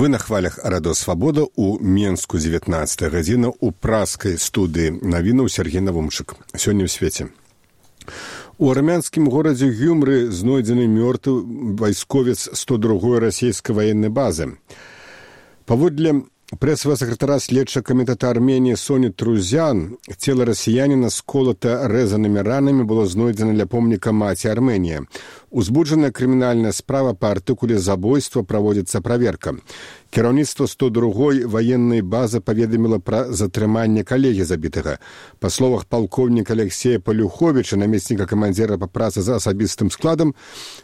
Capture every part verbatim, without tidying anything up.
Вы на хвалях радыё Свабода ў Менску дзевятнаццатая гадзіна ў праскай студыі навінаў Сергей Навумчык. Сёння ў свеце. У армянскім горадзе Гюмры знойдзены мёртвы вайсковец сто другой расійскай ваеннай базы. Паводле прэсавага сакратара следчага камітэта Арменіі Соні Трузян, цела расіяніна сколата рэзанымі ранамі было знойдзена ля помніка маці Арменія. Узбуджаная крымінальная справа па артыкуле забойства праводзіцца праверка. Кіраўніцтва сто другой ваеннай базы паведаміла пра затрыманне калегі забітага. Па словах палкоўніка Алексея Палюховіча, намесніка камандзіра па працы за асабістым складам,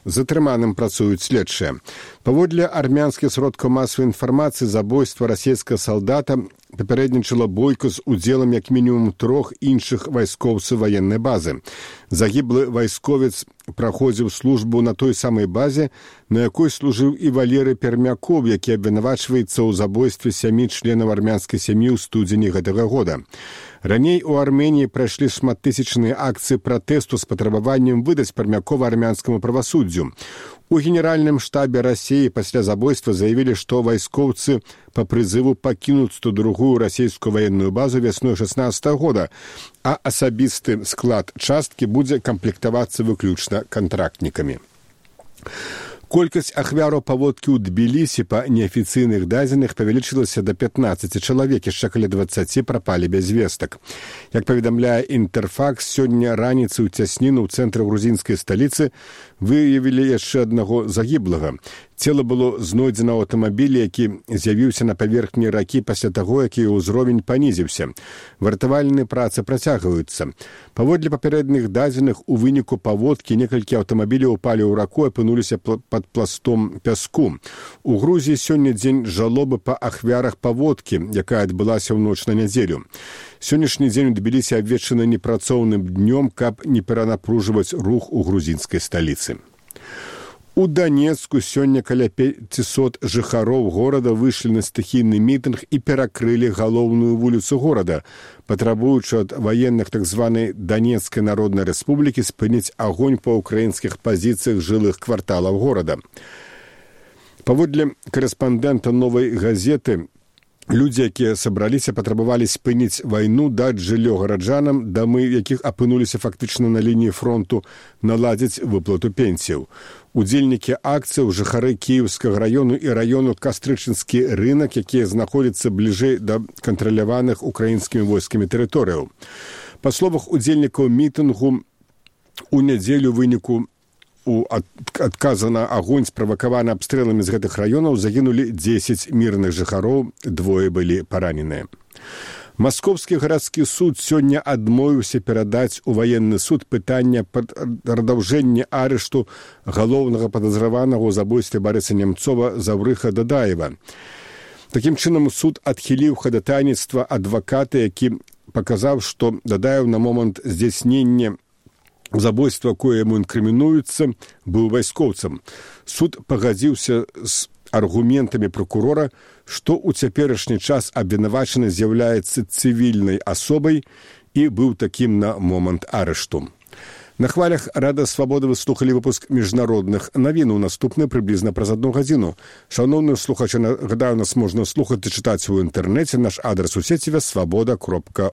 затрыманым працуюць следчыя. Паводле армянскіх сродкаў масавай інфармацыі, забойства расійскага салдата папярэднічала бойку з удзелам як мінімум трох іншых вайскоўцаў ваеннай базы. Загіблы вайсковец праходзіў службу на той самай базе, на якой служыў і Валерый Пермяков, які абвінавачваецца ў забойстве сямі членаў армянскай сям'і ў студзені гэтага года. Раней у Арменіі прайшлі шматтысячныя акцыі пратэсту з патрабаваннем выдаць Пермякова армянскаму правасуддзю. У генеральным штабе Расіі пасля забойства заявілі, што вайскоўцы па прызыву пакінуць сто другую расійскую ваенную базу вясной шаснаццатага года, а асабісты склад часткі будзе камплектавацца выключна кантрактнікамі. Колькасць ахвяраў паводкі ў Тбілісі па неафіцыйных дадзеных павялічылася да пятнаццаці чалавек, яшчэ каля дваццаці прапалі без вестак. Як паведамляе Інтэрфакс, сёння раніцай у цясніну ў цэнтры грузінскай сталіцы выявілі яшчэ аднаго загіблага. Цела было знойдзена ў аўтамабілі, які з'явіўся на паверхні ракі пасля таго, як яе ўзровень панізіўся. Выратавальныя працы працягваюцца. Паводле папярэдніх дадзеных, у выніку паводкі некалькі аўтамабіляў упалі ў раку і апынуліся пад пластом пяску. У Грузіі сёння дзень жалобы па ахвярах паводкі, якая адбылася ў ноч на нядзелю. Сённяшні дзень у Тбілісі абвешчаны непрацоўным днём, каб не перанапружваць рух у грузінскай сталіцы. У Данецку сёння каля пяцісот жыхароў горада выйшлі на стыхійны мітынг і перакрылі галоўную вуліцу горада, патрабуючы ад ваенных так званай Данецкай народнай рэспублікі спыніць агонь па ўкраінскіх пазіцыях жылых кварталаў горада. Паводле корэспандэнта «Новай газеты», людзі, якія сабраліся, патрабавалі спыніць вайну, даць жыллё гараджанам, дамы якіх апынуліся фактычна на лініі фронту, наладзіць выплату пенсіяў. Удзельнікі акцыяў, жыхары Кіеўскага раёну і раёну Кастрычынскі рынак, якія знаходзяцца бліжэй да кантраляваных украінскімі войскамі тэрыторыяў. Па словах удзельнікаў мітынгу, у нядзелю выніку у адказа на агонь, справакаваны абстрэламі з гэтых раёнаў, загінулі дзесяць мірных жыхароў, двое былі параненыя. Маскоўскі гарадскі суд сёння адмовіўся перадаць у ваенны суд пытання пад прадаўжэння арышту галоўнага падазраванага ў забойстве Барыса Немцова Заврыха Дадаева. Такім чынам, суд адхіліў хадатайніцтва адваката, які паказаў, што Дадаев на момант здзяйснення забойства, кое яму інкрымінуецца, быў вайскоўцам. Суд пагадзіўся з аргументамі прокурора, што ў цяперашні час абвінавачаны з'яўляецца цывільнай асобай і быў такім на момант арышту. На хвалях Рада Свабоды вы слухалі выпуск міжнародных навін. У наступны прыблізна праз адну гадзіну. Шановныя слухачы, нагадаю, нас можна слухаць і чытаць у інтэрнэце. Наш адрас у сеціве свабода кропка